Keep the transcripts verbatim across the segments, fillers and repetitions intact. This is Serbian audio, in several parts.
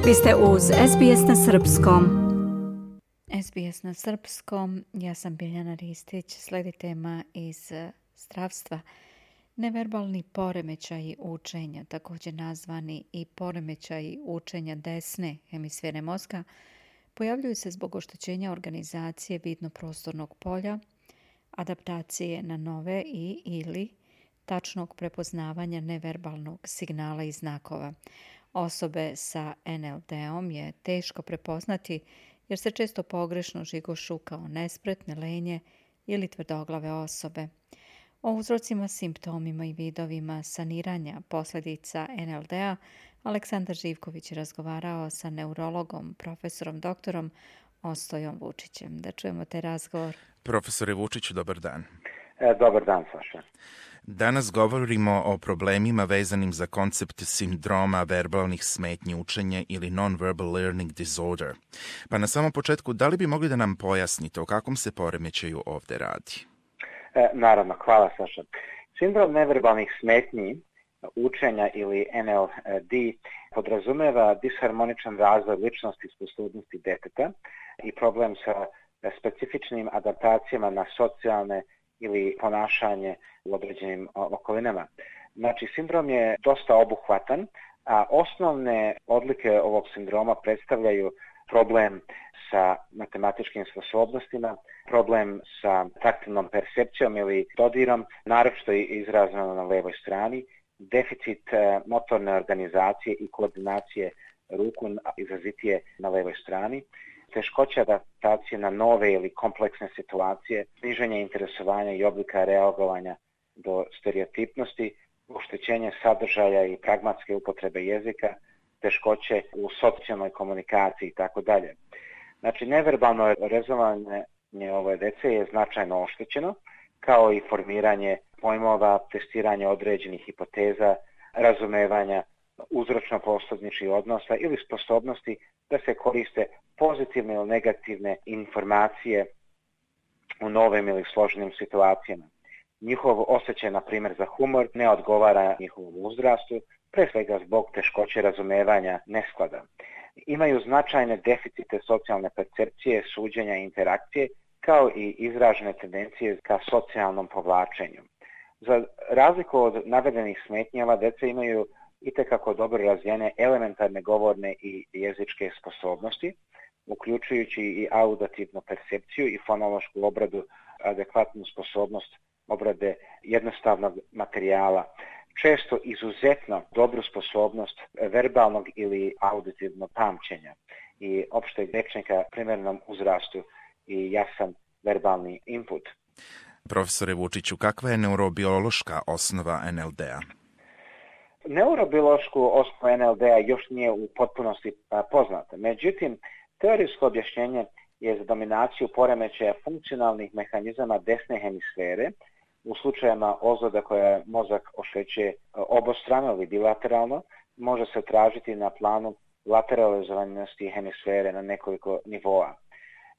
Vi ste uz S B S na Srpskom. S B S na Srpskom, ja sam Biljana Ristić, slijedi tema iz zdravstva. Neverbalni poremećaji učenja, također nazvani i poremećaji učenja desne hemisfere mozga, pojavljuju se zbog oštećenja organizacije vidno-prostornog polja, adaptacije na nove i ili tačnog prepoznavanja neverbalnog signala i znakova. Osobe sa N L D-om je teško prepoznati jer se često pogrešno žigošu kao nespretne, lenje ili tvrdoglave osobe. O uzrocima, simptomima i vidovima saniranja posljedica N L D-a Aleksandar Živković je razgovarao sa neurologom, profesorom doktorom Ostojom Vučićem. Da čujemo taj razgovor. Profesore Vučiću, dobar dan. E, dobar dan, Saša. Danas govorimo o problemima vezanim za koncept sindroma verbalnih smetnji učenja ili non-verbal learning disorder. Pa na samom početku, da li bi mogli da nam pojasnite o kakvom se poremećaju ovdje radi? E, naravno, hvala, Saša. Sindrom neverbalnih smetnji učenja ili N L D podrazumeva disharmoničan razvoj ličnosti i sposobnosti deteta i problem sa specifičnim adaptacijama na socijalne ili ponašanje u određenim okolinama. Znači, sindrom je dosta obuhvatan, a osnovne odlike ovog sindroma predstavljaju problem sa matematičkim sposobnostima, problem sa taktilnom percepcijom ili dodirom, naročito izraženo na levoj strani, deficit motorne organizacije i koordinacije ruku izrazitije na levoj strani, teškoća adaptacije na nove ili kompleksne situacije, sniženje interesovanja i oblika reagovanja do stereotipnosti, oštećenje sadržaja i pragmatske upotrebe jezika, teškoće u socijalnoj komunikaciji itd. Znači, neverbalno rezovanje ove dece je značajno oštećeno, kao i formiranje pojmova, testiranje određenih hipoteza, razumevanja uzročno-posljedičnih odnosa ili sposobnosti da se koriste pozitivne ili negativne informacije u novim ili složenim situacijama. Njihov osjećaj, na primjer, za humor ne odgovara njihovom uzrastu, pre svega zbog teškoće razumevanja nesklada. Imaju značajne deficite socijalne percepcije, suđenja i interakcije, kao i izražene tendencije ka socijalnom povlačenju. Za razliku od navedenih smetnji, ova deca imaju itekako dobro razvijene elementarne govorne i jezičke sposobnosti, uključujući i auditivnu percepciju i fonološku obradu, adekvatnu sposobnost obrade jednostavnog materijala, često izuzetno dobru sposobnost verbalnog ili auditivnog pamćenja i opšteg rečnika primjernom uzrastu i jasan verbalni input. Profesore Vučiću, kakva je neurobiološka osnova N L D-a? Neurobiološku osnovu N L D-a još nije u potpunosti poznata. Međutim, teorijsko objašnjenje je za dominaciju poremećaja funkcionalnih mehanizama desne hemisfere u slučajevima ozljeda koja mozak oštećuje obostrano ili bilateralno, može se tražiti na planu lateralizovanosti hemisfere na nekoliko nivoa.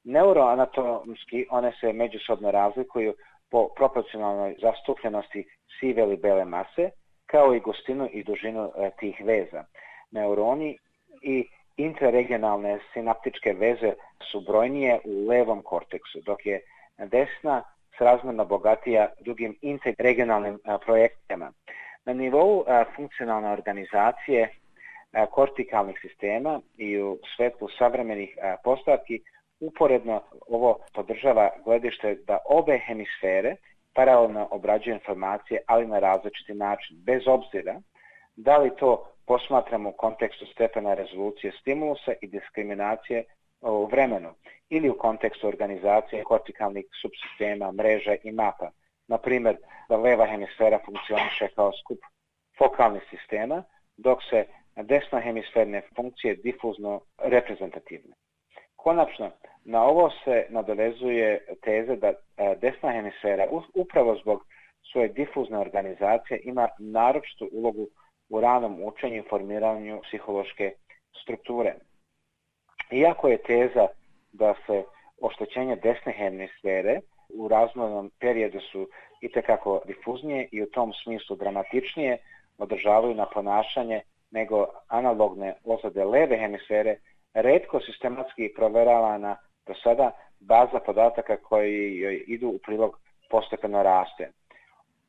Neuroanatomski one se međusobno razlikuju po proporcionalnoj zastupljenosti sive ili bele mase, kao i gustinu i dužinu tih veza. Neuroni i intraregionalne sinaptičke veze su brojnije u levom korteksu, dok je desna srazmjerno bogatija drugim interregionalnim projekcijama. Na nivou a, funkcionalne organizacije a, kortikalnih sistema i u svetlu savremenih a, postavki uporedno ovo podržava gledište da obe hemisfere paralelno obrađuju informacije, ali na različiti način, bez obzira da li to posmatramo u kontekstu stepena rezolucije stimulusa i diskriminacije u vremenu ili u kontekstu organizacije kortikalnih subsistema, mreža i mapa. Na primjer, da leva hemisfera funkcioniše kao skup fokalnih sistema, dok se desnohemisferne funkcije difuzno reprezentativne. Konačno, na ovo se nadovezuje teza da desna hemisfera upravo zbog svoje difuzne organizacije ima naročitu ulogu u ranom učenju i formiranju psihološke strukture. Iako je teza da se oštećenje desne hemisfere u razvojnom periodu su itekako difuznije i u tom smislu dramatičnije, održavaju na ponašanje nego analogne ozljede leve hemisfere, retko sistematski proveravana do sada baza podataka koji joj idu u prilog postepeno raste.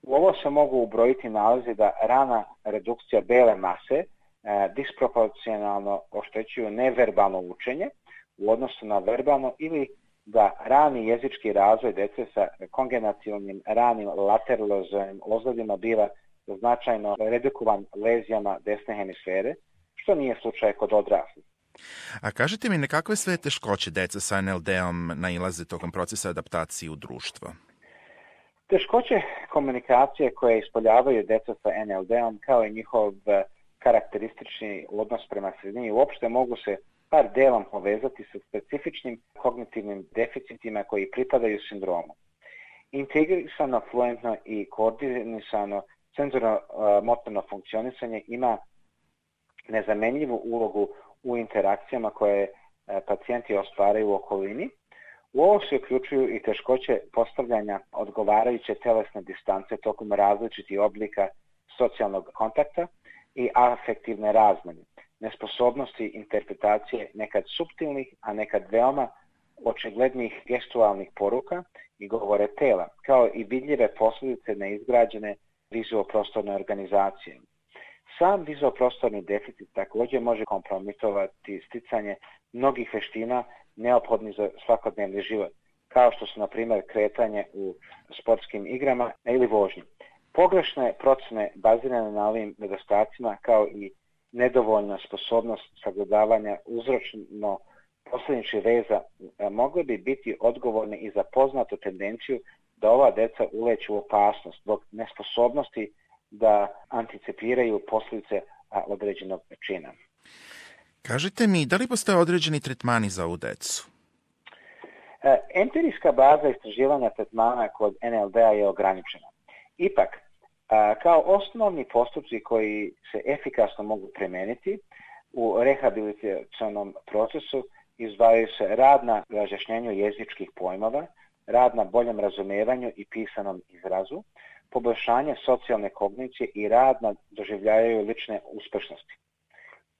U ovo se mogu ubrojiti nalazi da rana redukcija bele mase e, disproporcionalno oštećuju neverbalno učenje u odnosu na verbalno ili da rani jezički razvoj dece sa kongenacionalnim ranim lateralozojnim ozljedima biva značajno redukovan lezijama desne hemisfere, što nije slučaj kod odraslih. A kažete mi, na kakve sve teškoće deca sa en el de-om nailaze tokom procesa adaptacije u društvo? Teškoće komunikacije koje ispoljavaju deca sa en el de-om kao i njihov karakteristični odnos prema sredini uopšte mogu se par delom povezati sa specifičnim kognitivnim deficitima koji pripadaju sindromu. Integrisano, fluentno i koordinisano senzorno-motorno funkcionisanje ima nezamenljivu ulogu u interakcijama koje pacijenti ostvaraju u okolini. U ovo se uključuju i teškoće postavljanja odgovarajuće telesne distance tokom različitih oblika socijalnog kontakta i afektivne razmene, nesposobnosti interpretacije nekad suptilnih, a nekad veoma očiglednih gestualnih poruka i govore tela, kao i vidljive posljedice neizgrađene vizuoprostorne organizacije. Sam vizuoprostorni deficit također može kompromitovati sticanje mnogih veština neophodnih za svakodnevni život, kao što su, na primjer, kretanje u sportskim igrama ili vožnje. Pogrešne procene bazirane na ovim nedostacima, kao i nedovoljna sposobnost sagledavanja uzročno posljedičnih veza, mogle bi biti odgovorne i za poznatu tendenciju da ova deca uleću u opasnost zbog nesposobnosti da anticipiraju posljedice određenog čina. Kažite mi, da li postoje određeni tretmani za ovu decu? Empirijska baza istraživanja tretmana kod en el de-a je ograničena. Ipak, kao osnovni postupci koji se efikasno mogu primijeniti u rehabilitacionom procesu izdvajaju se rad na razjašnjenju jezičkih pojmova, rad na boljem razumijevanju i pisanom izrazu, poboljšanje socijalne kognicije i rad na doživljavaju lične uspešnosti.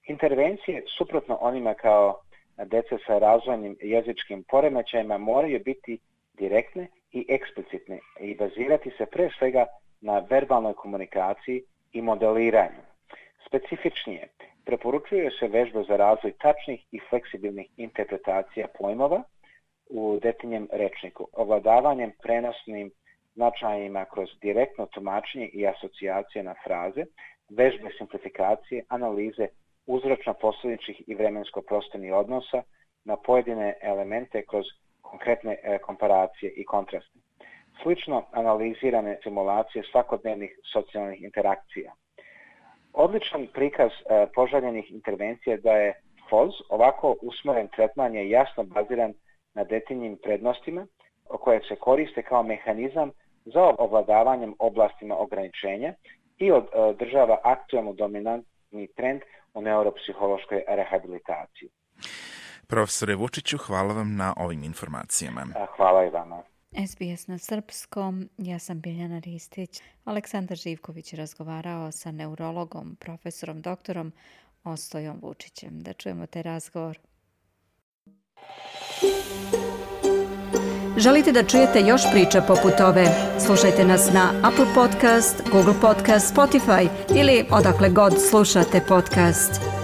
Intervencije, suprotno onima kao dece sa razvojnim jezičkim poremećajima, moraju biti direktne i eksplicitne i bazirati se pre svega na verbalnoj komunikaciji i modeliranju. Specifičnije, preporučuju se vežbe za razvoj tačnih i fleksibilnih interpretacija pojmova u detinjem rečniku, ovladavanjem prenosnim značajima kroz direktno tumačenje i asocijacije na fraze, vežbe simplifikacije, analize uzročno-posljedičnih i vremensko-prostornih odnosa na pojedine elemente kroz konkretne e, komparacije i kontraste. Slično analizirane simulacije svakodnevnih socijalnih interakcija. Odličan prikaz e, poželjenih intervencija da je F O Z, ovako usmeren tretman je jasno baziran na detinjim prednostima koje se koriste kao mehanizam za ovladavanjem oblastima ograničenja i održava aktualno dominantni trend u neuropsihološkoj rehabilitaciji. Profesore Vučiću, hvala vam na ovim informacijama. Hvala i vama. es be es na srpskom, ja sam Biljana Ristić. Aleksandar Živković je razgovarao sa neurologom, profesorom doktorom Ostojom Vučićem. Da čujemo taj razgovor. Želite da čujete još priča poput ove? Slušajte nas na Apple Podcast, Google Podcast, Spotify ili odakle god slušate podcast.